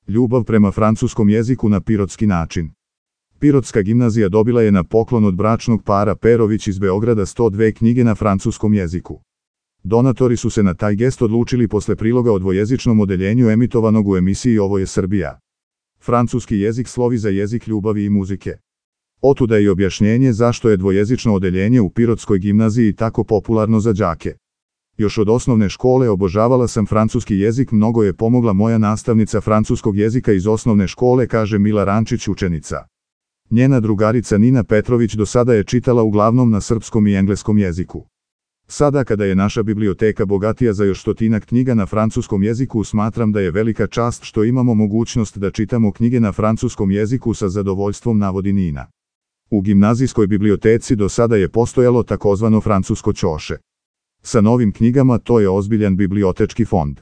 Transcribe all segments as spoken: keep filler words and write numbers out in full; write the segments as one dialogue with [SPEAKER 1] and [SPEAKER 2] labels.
[SPEAKER 1] Ljubav prema francuskom jeziku na pirotski način. Pirotska gimnazija dobila je na poklon od bračnog para Perović iz Beograda sto dve knjige na francuskom jeziku. Donatori su se na taj gest odlučili posle priloga o dvojezičnom odeljenju emitovanog u emisiji Ovo je Srbija. Francuski jezik slovi za jezik ljubavi i muzike. Otuda je i objašnjenje zašto je dvojezično odeljenje u Pirotskoj gimnaziji tako popularno za đake. Još od osnovne škole obožavala sam francuski jezik, mnogo je pomogla moja nastavnica francuskog jezika iz osnovne škole, kaže Mila Rančić, učenica. Njena drugarica Nina Petrović do sada je čitala uglavnom na srpskom i engleskom jeziku. Sada kada je naša biblioteka bogatija za još stotinak knjiga na francuskom jeziku, smatram da je velika čast što imamo mogućnost da čitamo knjige na francuskom jeziku, sa zadovoljstvom navodi Nina. U gimnazijskoj biblioteci do sada je postojalo takozvano francusko ćoše. Sa novim knjigama to je ozbiljan bibliotečki fond.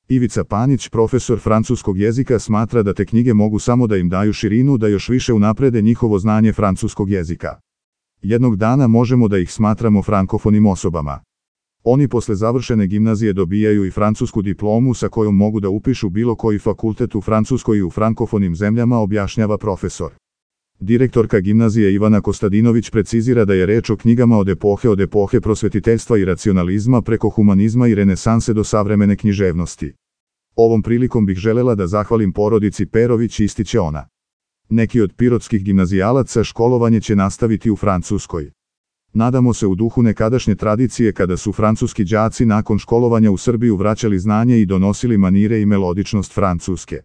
[SPEAKER 1] Ivica Panić, profesor francuskog jezika, smatra da te knjige mogu samo da im daju širinu, da još više unaprede njihovo znanje francuskog jezika. Jednog dana možemo da ih smatramo frankofonim osobama. Oni posle završene gimnazije dobijaju i francusku diplomu sa kojom mogu da upišu bilo koji fakultet u Francuskoj i u frankofonim zemljama, objašnjava profesor. Direktorka gimnazije Ivana Kostadinović precizira da je reč o knjigama od epohe od epohe prosvetiteljstva i racionalizma preko humanizma i renesanse do savremene književnosti. Ovom prilikom bih želela da zahvalim porodici Perović, ističe ona. Neki od pirotskih gimnazijalaca školovanje će nastaviti u Francuskoj. Nadamo se u duhu nekadašnje tradicije kada su francuski đaci nakon školovanja u Srbiju vraćali znanje i donosili manire i melodičnost francuske.